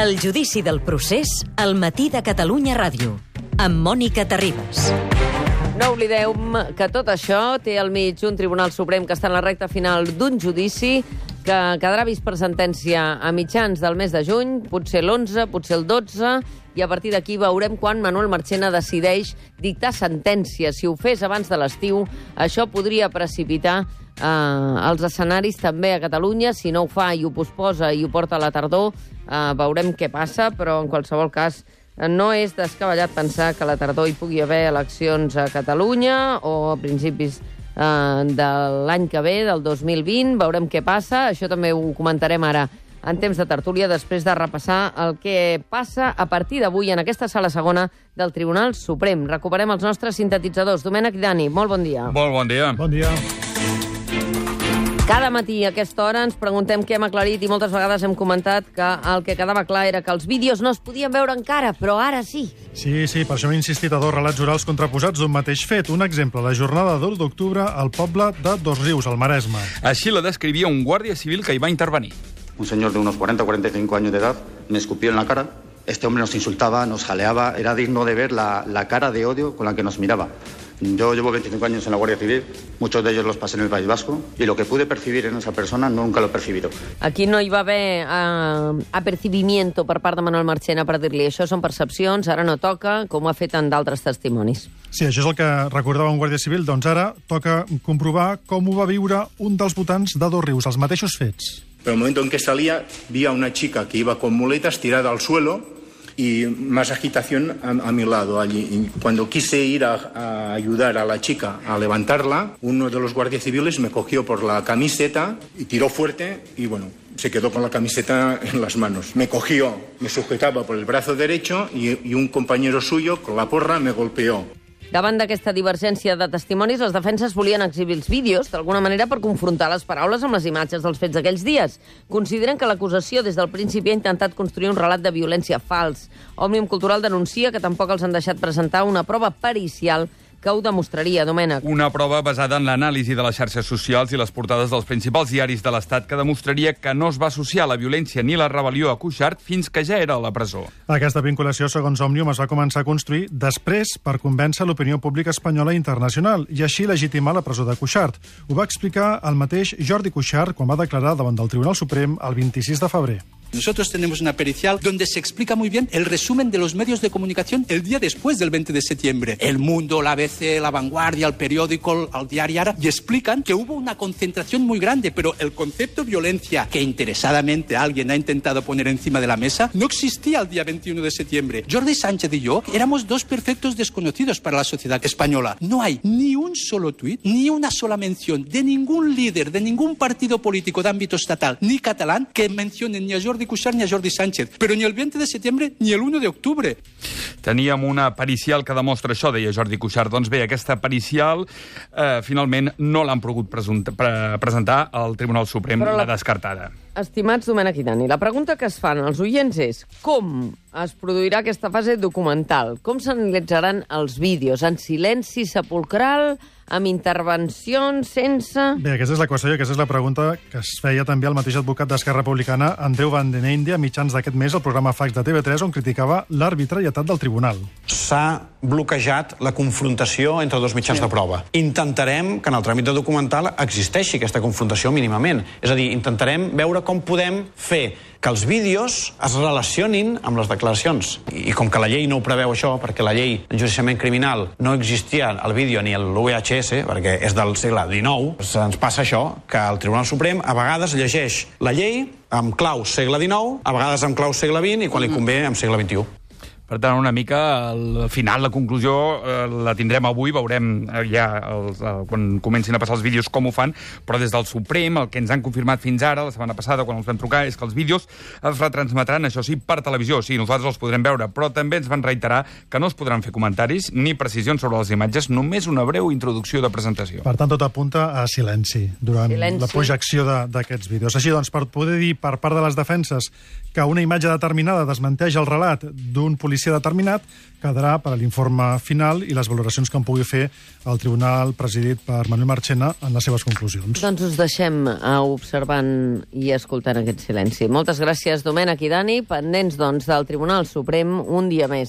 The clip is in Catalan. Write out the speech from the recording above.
El judici del procés al matí de Catalunya Ràdio, amb Mònica Terribas. No oblideu que tot això té al mig un Tribunal Suprem que està en la recta final d'un judici que quedarà vist per sentència a mitjans del mes de juny, potser l'11, potser el 12, i a partir d'aquí veurem quan Manuel Marchena decideix dictar sentència. Si ho fes abans de l'estiu, això podria precipitar els escenaris també a Catalunya. Si no ho fa i ho posposa i ho porta a la tardor, veurem què passa, però en qualsevol cas no és descabellat pensar que a la tardor hi pugui haver eleccions a Catalunya o a principis de l'any que ve, del 2020. Veurem què passa. Això també ho comentarem ara en temps de tertúlia, després de repassar el que passa a partir d'avui en aquesta sala segona del Tribunal Suprem. Recuperem els nostres sintetitzadors. Domènec i Dani, molt bon dia. Molt bon dia. Bon dia. Cada matí a aquesta hora ens preguntem què hem aclarit i moltes vegades hem comentat que el que quedava clar era que els vídeos no es podien veure encara, però ara sí. Sí, per això hem insistit a dos relats orals contraposats d'un mateix fet. Un exemple, la jornada del 2 d'octubre al poble de Dosrius, al Maresme. Així la descrivia un guàrdia civil que hi va intervenir. Un señor de unos 40 o 45 años de edad me escupió en la cara. Este hombre nos insultaba, nos jaleaba. Era digno de ver la cara de odio con la que nos miraba. Yo llevo 25 años en la Guardia Civil, muchos de ellos los pasé en el País Vasco, y lo que pude percibir en esa persona nunca lo he percibido. Aquí no hi va haver apercibimiento per part de Manuel Marchena per dir-li això són percepcions, ara no toca, com ho ha fet en d'altres testimonis. Sí, això és el que recordava un guàrdia civil. Doncs ara toca comprovar com ho va viure un dels votants de Dosrius, els mateixos fets. Pero el momento en que salía, vi a una chica que iba con muletas tirada al suelo y más agitación a mi lado allí. Y cuando quise ir a ayudar a la chica a levantarla, uno de los guardias civiles me cogió por la camiseta y tiró fuerte y bueno, se quedó con la camiseta en las manos. Me cogió, me sujetaba por el brazo derecho y un compañero suyo con la porra me golpeó. Davant d'aquesta divergència de testimonis, les defenses volien exhibir els vídeos, d'alguna manera per confrontar les paraules amb les imatges dels fets d'aquells dies. Consideren que l'acusació des del principi ha intentat construir un relat de violència fals. Òmnium Cultural denuncia que tampoc els han deixat presentar una prova pericial que ho demostraria, Domènec. Una prova basada en l'anàlisi de les xarxes socials i les portades dels principals diaris de l'Estat que demostraria que no es va associar la violència ni la rebel·lió a Cuixart fins que ja era a la presó. Aquesta vinculació, segons Òmnium, es va començar a construir després per convèncer l'opinió pública espanyola i internacional i així legitimar la presó de Cuixart. Ho va explicar el mateix Jordi Cuixart quan va declarar davant del Tribunal Suprem el 26 de febrer. Nosotros tenemos una pericial donde se explica muy bien el resumen de los medios de comunicación el día después del 20 de septiembre. El Mundo, la ABC, La Vanguardia, el periódico, el diario Ara, y explican que hubo una concentración muy grande, pero el concepto violencia que interesadamente alguien ha intentado poner encima de la mesa no existía el día 21 de septiembre. Jordi Sánchez y yo éramos dos perfectos desconocidos para la sociedad española. No hay ni un solo tuit, ni una sola mención de ningún líder, de ningún partido político de ámbito estatal ni catalán que mencionen ni a Jordi Cuixart ni a Jordi Sánchez, però ni el 20 de setembre ni el 1 d'octubre. Teníem una pericial que demostra això, deia Jordi Cuixart. Doncs bé, aquesta pericial finalment no l'han pogut presentar al Tribunal Suprem, la descartada. Estimats Domènec i Dani, la pregunta que es fan als oients és com es produirà aquesta fase documental? Com s'analitzaran els vídeos? En silenci sepulcral? Amb intervencions, sense... Bé, aquesta és la qüestió i aquesta és la pregunta que es feia també el mateix advocat d'Esquerra Republicana, Andreu Van den Einde, a mitjans d'aquest mes al programa Fax de TV3, on criticava l'arbitrarietat del tribunal. S'ha bloquejat la confrontació entre dos mitjans de prova. Intentarem que en el tràmit de documental existeixi aquesta confrontació mínimament. És a dir, intentarem veure com podem fer que els vídeos es relacionin amb les declaracions. I com que la llei no ho preveu això, perquè la llei d'enjudiciament criminal no existia el vídeo ni l'UVHS, perquè és del segle XIX, ens passa això, que el Tribunal Suprem a vegades llegeix la llei amb clau segle XIX, a vegades amb clau segle XX i quan li convé amb segle XXI. Per tant, una mica al final, la conclusió la tindrem avui, veurem ja quan comencin a passar els vídeos com ho fan, però des del Suprem el que ens han confirmat fins ara, la setmana passada quan els vam trucar, és que els vídeos es retransmetran, això sí, per televisió, sí, nosaltres els podrem veure, però també ens van reiterar que no es podran fer comentaris ni precisions sobre les imatges, només una breu introducció de presentació. Per tant, tot apunta a silenci durant la projecció d'aquests vídeos. Així doncs, per poder dir per part de les defenses que una imatge determinada desmenteix el relat d'un policia judici determinat quedarà per a l'informe final i les valoracions que en pugui fer el tribunal presidit per Manuel Marchena en les seves conclusions. Doncs us deixem observant i escoltant aquest silenci. Moltes gràcies, Domènec i Dani, pendents del Tribunal Suprem un dia més.